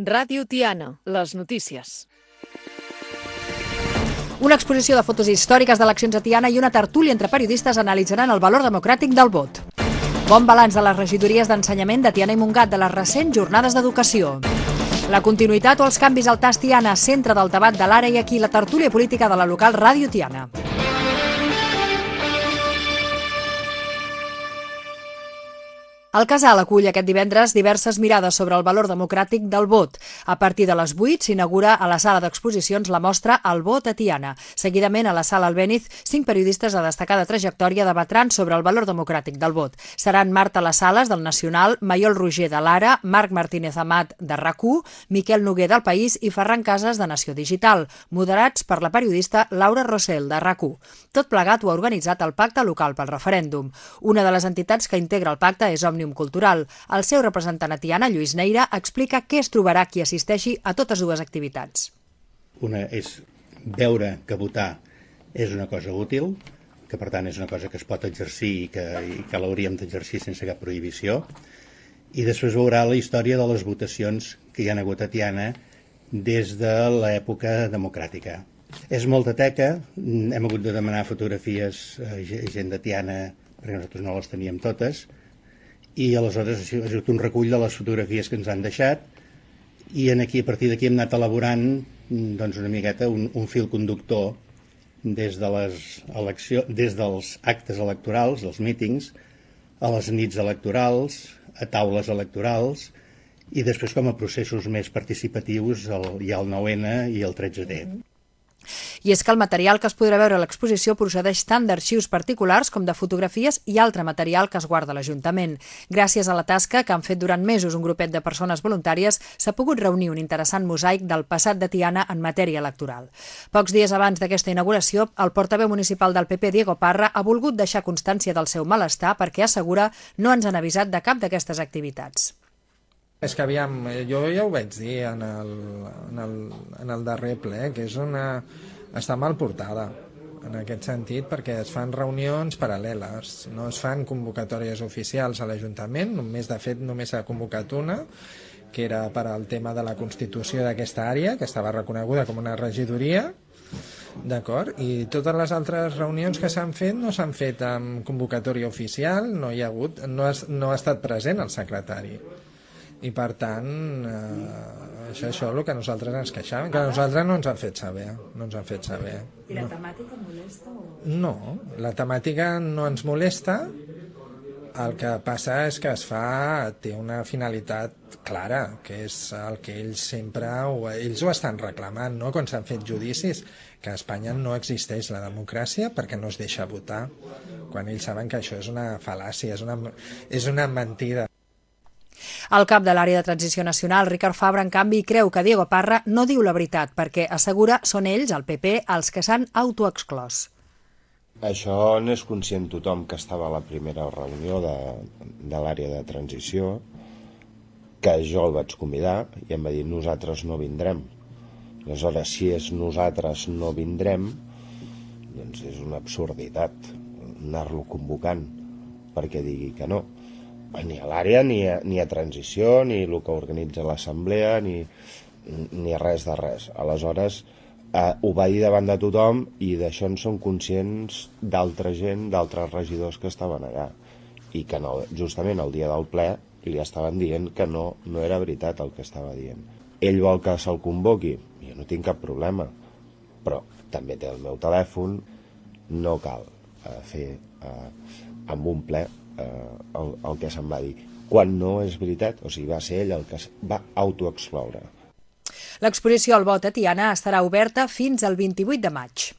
Ràdio Tiana, les notícies. Una exposició de fotos històriques d'eleccions a Tiana i una tertúlia entre periodistes analitzaran el valor democràtic del vot. Bon balanç de les regidories d'ensenyament de Tiana i Montgat de les recents jornades d'educació. La continuïtat o els canvis al TAS Tiana, centre del debat de l'ara, i aquí la tertúlia política de la local Ràdio Tiana. El Casal acull aquest divendres diverses mirades sobre el valor democràtic del vot. A partir de les 8 s'inaugura a la sala d'exposicions la mostra El vot a Tiana. Seguidament, a la sala Albéniz, 5 periodistes de destacada trajectòria debatran sobre el valor democràtic del vot. Seran Marta Las Sales, del Nacional, Maiol Roger, de l'Ara, Marc Martínez Amat, de RAC1, Miquel Noguer, del País, i Ferran Casas, de Nació Digital, moderats per la periodista Laura Rossell, de RAC1. Tot plegat ho ha organitzat el Pacte Local pel Referèndum. Una de les entitats que integra el pacte és Òmnium Cultural. El seu representant a Tiana, Lluís Neira, explica què es trobarà qui assisteixi a totes dues activitats. Una és veure que votar és una cosa útil, que per tant és una cosa que es pot exercir i que l'hauríem d'exercir sense cap prohibició, i després veurà la història de les votacions que hi ha hagut a Tiana des de l'època democràtica. És molta teca, hem hagut de demanar fotografies a gent de Tiana perquè nosaltres no les teníem totes, i aleshores ha sigut un recull de les fotografies que ens han deixat, i a partir d'aquí hem anat elaborant una miqueta un fil conductor des dels actes electorals, dels mítings, a les nits electorals, a taules electorals, i després com a processos més participatius hi ha el 9N i el 13D. I és que el material que es podrà veure a l'exposició procedeix tant d'arxius particulars com de fotografies i altre material que es guarda a l'Ajuntament. Gràcies a la tasca que han fet durant mesos un grupet de persones voluntàries, s'ha pogut reunir un interessant mosaic del passat de Tiana en matèria electoral. Pocs dies abans d'aquesta inauguració, el portaveu municipal del PP, Diego Parra, ha volgut deixar constància del seu malestar perquè, assegura, no ens han avisat de cap d'aquestes activitats. És que aviam, jo ja ho vaig dir en el darrer ple, que està mal portada en aquest sentit, perquè es fan reunions paral·leles, no es fan convocatòries oficials a l'Ajuntament, de fet només s'ha convocat una, que era per al tema de la constitució d'aquesta àrea, que estava reconeguda com una regidoria, d'acord? I totes les altres reunions que s'han fet no s'han fet amb convocatòria oficial, no ha estat present el secretari. I per tant, això és el que nosaltres ens queixàvem, que a nosaltres no ens han fet saber. I la temàtica molesta? No, la temàtica no ens molesta, el que passa és que té una finalitat clara, que és el que ells ho estan reclamant, no? Quan s'han fet judicis, que a Espanya no existeix la democràcia perquè no es deixa votar, quan ells saben que això és una fal·làcia, és una mentida. El cap de l'àrea de transició nacional, Ricard Fabra, en canvi, creu que Diego Parra no diu la veritat perquè, assegura, són ells, el PP, els que s'han autoexclòs. Això n'és conscient tothom que estava a la primera reunió de l'àrea de transició, que jo el vaig convidar i em va dir nosaltres no vindrem. Aleshores, si és nosaltres no vindrem, doncs és una absurditat anar-lo convocant perquè digui que no. Ni a l'àrea, ni a transició, ni el que organitza l'assemblea, ni res de res. Aleshores, ho va dir davant de tothom i d'això en són conscients d'altra gent, d'altres regidors que estaven allà. I que no, justament el dia del ple li estaven dient que no era veritat el que estava dient. Ell vol que se'l convoqui? Jo no tinc cap problema, però també té el meu telèfon, no cal fer amb un ple el que se'n va dir, quan no és veritat, o sigui, va ser ell el que es va autoexcloure. L'exposició al vot a Tiana estarà oberta fins al 28 de maig.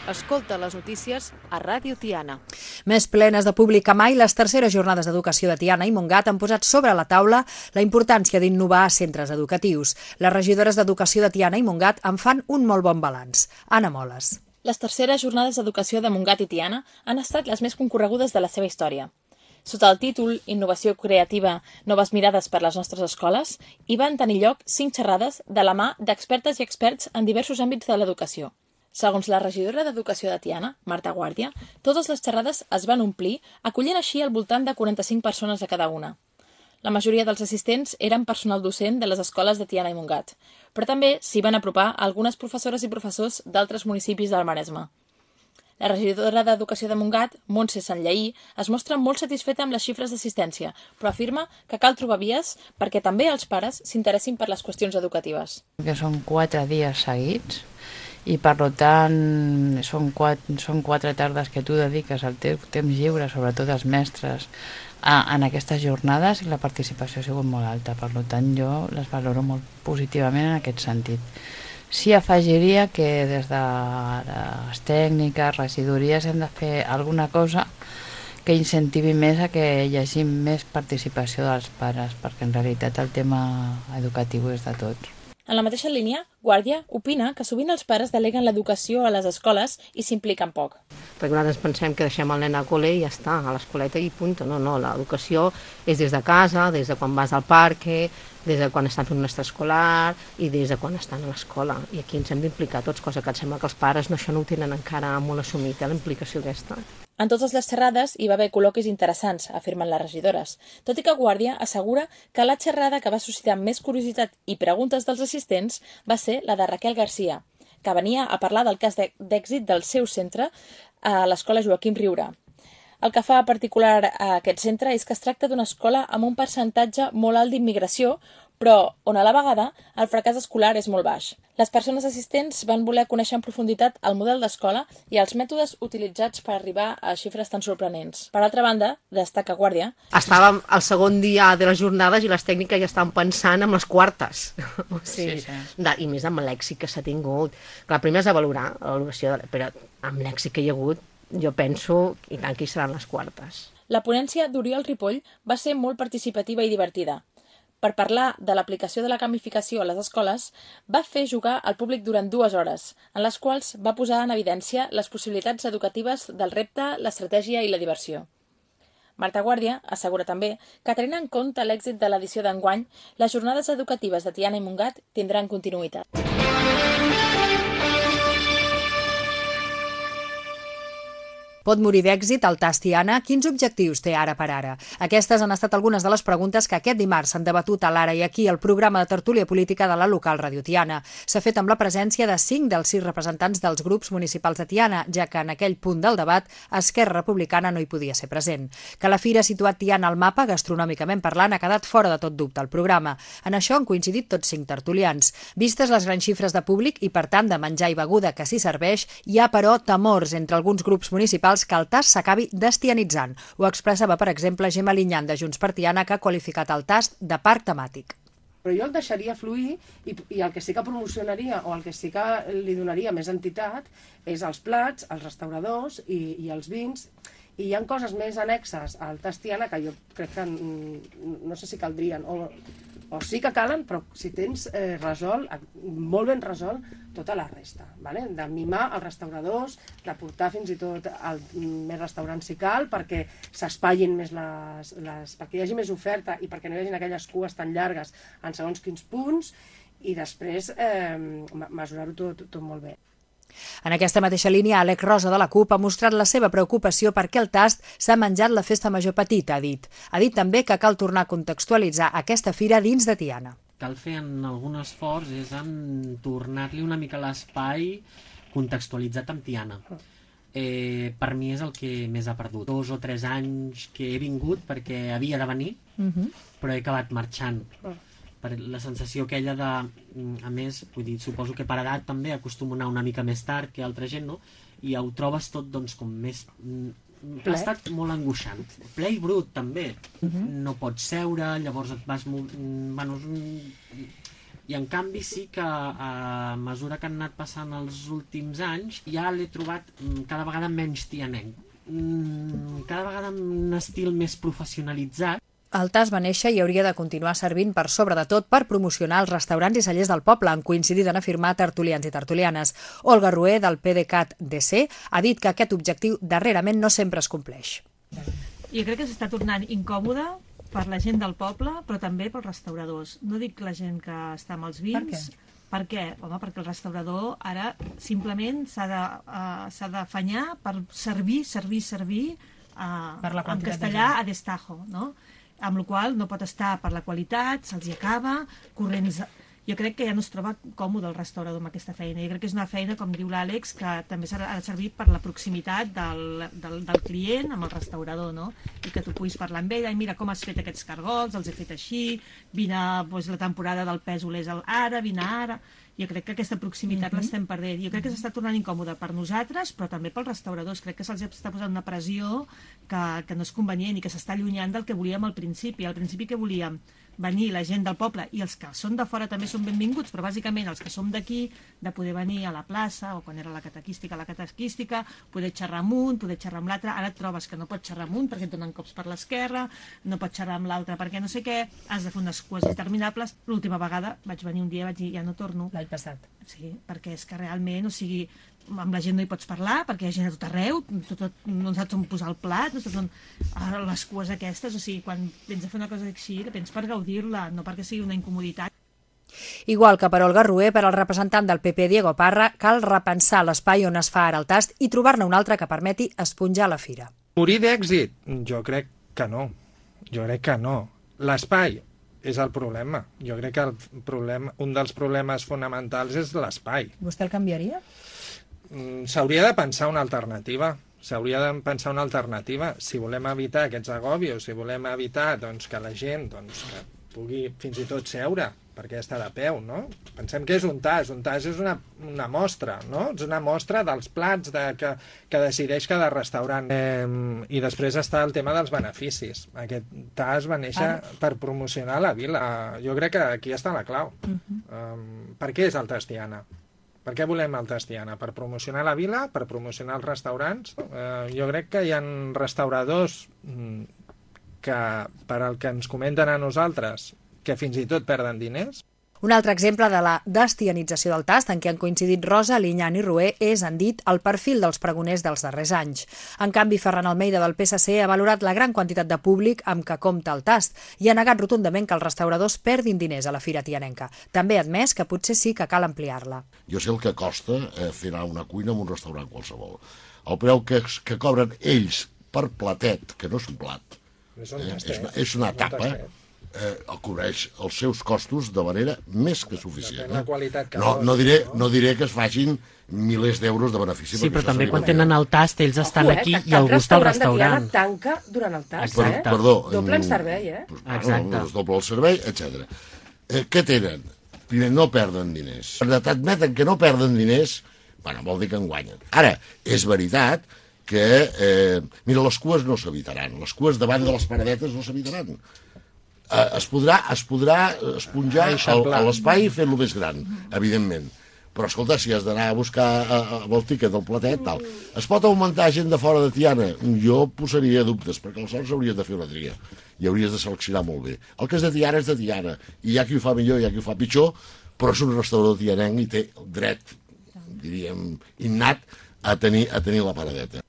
Escolta les notícies a Ràdio Tiana. Més plenes de públic que mai, les terceres jornades d'educació de Tiana i Montgat han posat sobre la taula la importància d'innovar a centres educatius. Les regidores d'educació de Tiana i Montgat en fan un molt bon balanç. Anna Moles. Les terceres jornades d'educació de Montgat i Tiana han estat les més concorregudes de la seva història. Sota el títol Innovació creativa, noves mirades per les nostres escoles, hi van tenir lloc 5 xerrades de la mà d'expertes i experts en diversos àmbits de l'educació. Segons la regidora d'Educació de Tiana, Marta Guàrdia, totes les xerrades es van omplir, acollint així al voltant de 45 persones a cada una. La majoria dels assistents eren personal docent de les escoles de Tiana i Montgat, però també s'hi van apropar algunes professores i professors d'altres municipis del Maresme. La regidora d'Educació de Montgat, Montse Sanllaí, es mostra molt satisfeta amb les xifres d'assistència, però afirma que cal trobar vies perquè també els pares s'interessin per les qüestions educatives. Que són 4 dies seguits i per tant són 4 tardes que tu dediques al teu temps lliure, sobretot els mestres, en aquestes jornades, i la participació ha sigut molt alta. Per tant, jo les valoro molt positivament en aquest sentit. Sí, afegiria que des de les tècniques, regidories, hem de fer alguna cosa que incentivi més a que hi hagi més participació dels pares, perquè en realitat el tema educatiu és de tots. En la mateixa línia, Guàrdia opina que sovint els pares deleguen l'educació a les escoles i s'impliquen poc. Perquè nosaltres pensem que deixem el nen al col·le i ja està, a l'escoleta i punt. No, l'educació és des de casa, des de quan vas al parc, des de quan estan fent un extraescolar i des de quan estan a l'escola. I aquí ens hem d'implicar tots, cosa que em sembla que els pares això no ho tenen encara molt assumit, la implicació aquesta. En totes les xerrades hi va haver col·loquis interessants, afirmen les regidores, tot i que Guàrdia assegura que la xerrada que va suscitar més curiositat i preguntes dels assistents va ser la de Raquel Garcia, que venia a parlar del cas d'èxit del seu centre a l'escola Joaquim Riura. El que fa particular a aquest centre és que es tracta d'una escola amb un percentatge molt alt d'immigració, però on a la vegada el fracàs escolar és molt baix. Les persones assistents van voler conèixer en profunditat el model d'escola i els mètodes utilitzats per arribar a xifres tan sorprenents. Per altra banda, destaca Guàrdia... Estàvem al segon dia de les jornades i les tècniques ja estaven pensant en les quartes. Sí. I més amb l'èxit que s'ha tingut. Clar, primer és de valorar la valoració, però amb l'èxit que hi ha hagut, jo penso, i tant que hi seran les quartes. La ponència d'Oriol Ripoll va ser molt participativa i divertida. Per parlar de l'aplicació de la gamificació a les escoles, va fer jugar al públic durant 2 hores, en les quals va posar en evidència les possibilitats educatives del repte, l'estratègia i la diversió. Marta Guàrdia assegura també que, tenint en compte l'èxit de l'edició d'enguany, les jornades educatives de Tiana i Montgat tindran continuïtat. Pot morir d'èxit el TAS Tiana? Quins objectius té ara per ara? Aquestes han estat algunes de les preguntes que aquest dimarts s'han debatut a l'Ara i aquí al programa de tertúlia política de la local Radio Tiana. S'ha fet amb la presència de 5 dels 6 representants dels grups municipals de Tiana, ja que en aquell punt del debat Esquerra Republicana no hi podia ser present. Que la fira ha situat Tiana al mapa, gastronòmicament parlant, ha quedat fora de tot dubte al programa. En això han coincidit tots 5 tertulians. Vistes les grans xifres de públic i, per tant, de menjar i beguda que s'hi serveix, hi ha, però, temors entre alguns grups municipals que el TAS s'acabi destianitzant. Ho expressava, per exemple, Gemma Linyan de Junts per Tiana, que ha qualificat el TAS de parc temàtic. Però jo el deixaria fluir i el que sí que promocionaria o el que sí que li donaria més entitat és els plats, els restauradors i els vins. I hi ha coses més annexes al TAS Tiana que jo crec que no sé si caldrien o sí que calen, però si tens resolt, molt ben resolt, tota la resta, vale? De mimar els restauradors, de portar fins i tot més restaurants si cal, perquè s'espatllin més perquè hi hagi més oferta i perquè no hi hagi aquelles cues tan llargues en segons quins punts, i després mesurar-ho tot molt bé. En aquesta mateixa línia, Àlex Rosa de la CUP ha mostrat la seva preocupació perquè el TAS s'ha menjat la festa major petita, ha dit. Ha dit també que cal tornar a contextualitzar aquesta fira dins de Tiana. Cal fer algun esforç és en tornar-li una mica l'espai contextualitzat amb Tiana. Per mi és el que més ha perdut. 2 o 3 anys que he vingut perquè havia de venir, però he acabat marxant. Per la sensació aquella de, a més, vull dir, suposo que per edat també acostumo a anar una mica més tard que altra gent, no? I ho trobes tot, doncs, com més... Ha estat molt angoixant. Ple i brut, també. No pots seure, llavors et vas... Bueno, i en canvi sí que a mesura que han anat passant els últims anys ja l'he trobat cada vegada menys tianenc. Cada vegada amb un estil més professionalitzat. El TAS va néixer i hauria de continuar servint per sobre de tot per promocionar els restaurants i cellers del poble, han coincidit en afirmar tertulians i tertulianes. Olga Rué, del PDeCAT DC, ha dit que aquest objectiu darrerament no sempre es compleix. Jo crec que s'està tornant incòmode per la gent del poble, però també pels restauradors. No dic la gent que està amb els vins. Per què? Per què? Home, perquè el restaurador ara simplement s'ha d'afanyar per servir en castellà a destajo, no? Amb la qual no pot estar per la qualitat, se'ls acaba, corrents... Jo crec que ja no es troba còmode el restaurador amb aquesta feina. Jo crec que és una feina, com diu l'Àlex, que també ha de servir per la proximitat del client amb el restaurador, no? I que tu puguis parlar amb ell, mira com has fet aquests cargols, els he fet així, vine, doncs, la temporada del pèsol és ara, vine ara... Jo crec que aquesta proximitat l'estem perdent. Jo crec que s'està tornant incòmode per nosaltres, però també pels restauradors. Crec que se'ls està posant una pressió que no és convenient i que s'està allunyant del que volíem al principi. Al principi que volíem venir la gent del poble, i els que són de fora també són benvinguts, però bàsicament els que som d'aquí, de poder venir a la plaça, o quan era la catequística, poder xerrar amb un, poder xerrar amb l'altre. Ara et trobes que no pots xerrar amb un perquè et donen cops per l'esquerra, no pots xerrar amb l'altre perquè no sé què, has de fer unes cues interminables. L'última vegada vaig venir un dia i vaig dir, ja no torno. L'any passat. Sí, perquè és que realment, o sigui, amb la gent no hi pots parlar, perquè hi ha gent a tot arreu, no saps on posar el plat, no saps on... les cues aquestes, o sigui, quan vens a fer una cosa així, que vens per gaudir-la, no perquè sigui una incomoditat. Igual que per Olga Rué, per al representant del PP, Diego Parra, cal repensar l'espai on es fa ara el tast i trobar-ne un altre que permeti esponjar la fira. Morir d'èxit? Jo crec que no. L'espai és el problema. Jo crec que un dels problemes fonamentals és l'espai. Vostè el canviaria? S'hauria de pensar una alternativa. Si volem evitar aquests agòbios, si volem evitar que la gent que pugui fins i tot seure, perquè està de peu, no? Pensem que és un tas és una mostra, no? És una mostra dels plats que decideix cada restaurant. I després està el tema dels beneficis. Aquest tas va néixer per promocionar la vila. Jo crec que aquí està la clau. Per què és el Tas Tiana? Per què volem el Tas Tiana? Per promocionar la vila? Per promocionar els restaurants? Jo crec que hi ha restauradors que, per al que ens comenten a nosaltres, que fins i tot perden diners. Un altre exemple de la destianització del tast, en què han coincidit Rosa, Liñán i Rué, és, han dit, el perfil dels pregoners dels darrers anys. En canvi, Ferran Almeida del PSC ha valorat la gran quantitat de públic amb què compta el tast i ha negat rotundament que els restauradors perdin diners a la Fira Tianenca. També ha admès que potser sí que cal ampliar-la. Jo sé el que costa fer anar una cuina en un restaurant qualsevol. El preu que cobren ells per platet, que no és un plat, és una tapa, cobreix els seus costos de manera més que suficient. No diré que es facin milers d'euros de benefici. Sí, però també quan tenen el tast ells estan aquí i el gust al restaurant. Tanca durant el tast, Perdó. Doble en servei, Exacte. Doble el servei, etc. Què tenen? Primer, no perden diners. T'admeten que no perden diners, vol dir que en guanyen. Ara, és veritat que, mira, les cues no s'evitaran. Les cues davant de les paradetes no s'evitaran. Es podrà esponjar l'espai i fer-lo més gran, evidentment. Però, escolta, si has d'anar a buscar el tíquet del platet, tal. Es pot augmentar gent de fora de Tiana? Jo posaria dubtes, perquè aleshores hauries de fer una tria i hauries de seleccionar molt bé. El que és de Tiana és de Tiana, i hi ha qui ho fa millor, hi ha qui ho fa pitjor, però és un restaurador tianenc i té el dret, diríem, innat a tenir la paradeta.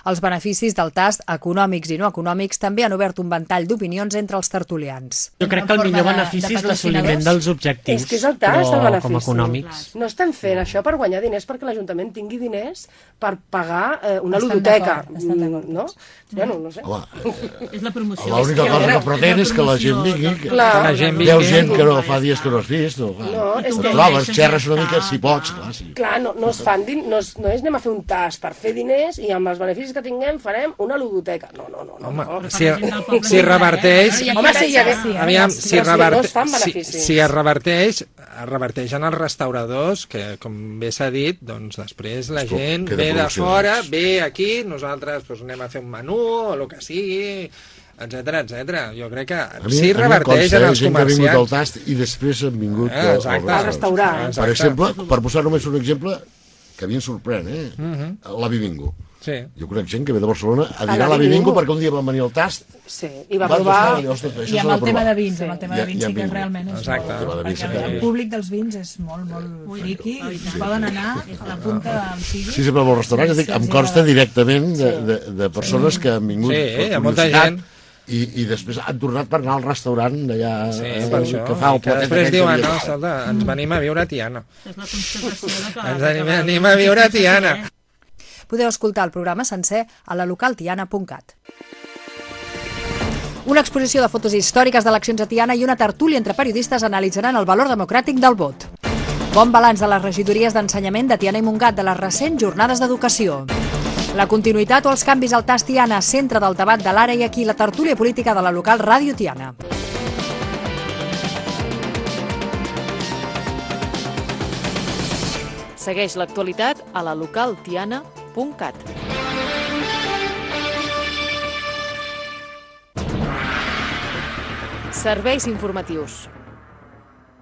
Els beneficis del tast, econòmics i no econòmics, també han obert un ventall d'opinions entre els tertulians. Jo crec que el millor benefici és l'assoliment dels objectius, és que és el tast, el benefici. Com econòmics. No estan fent això per guanyar diners perquè l'Ajuntament tingui diners per pagar una ludoteca. No? Bueno, no sé. És la promoció. L'única cosa que pretén és que la gent vingui. Veu gent que no fa dies que no has vist. Trobes, xerres una mica, si pots. Clar, no és anem a fer un tast per fer diners i amb els beneficis que tinguem farem una ludoteca. No. Home, si reverteix... Si es reverteix en els restauradors, que com bé s'ha dit, doncs després la gent ve de fora, ve aquí, nosaltres anem a fer un menú o el que sigui, etcètera. Jo crec que si reverteix en els comerciants... Ha vingut al tast i després han vingut al restaurant. Per exemple, per posar només un exemple, que a mi em sorprèn, l'Avi Bingo. Sí. Jo conec gent que ve de Barcelona a dinar a la Bilingo perquè un dia van venir al Tast. Sí, i va provar... I amb el tema de vins, amb el tema de vins sí que realment és exacte. Perquè el públic dels vins és molt, molt friqui i poden anar a la punta del sigui. Sí, sempre als restaurants, em consta directament de persones que han vingut per publicitat i després han tornat per anar al restaurant d'allà que fa el platet. Després diuen, no, escolta, ens venim a viure a Tiana. És la constatació que... Ens venim a viure a Tiana. Podeu escoltar el programa sencer a la localtiana.cat. Una exposició de fotos històriques d'eleccions a Tiana i una tertúlia entre periodistes analitzaran el valor democràtic del vot. Bon balanç de les regidories d'ensenyament de Tiana i Montgat de les recents jornades d'educació. La continuïtat o els canvis al TAS Tiana, centre del debat de l'ara i aquí, la tertúlia política de la local Ràdio Tiana. Segueix l'actualitat a la localtiana.cat. Serveis informatius.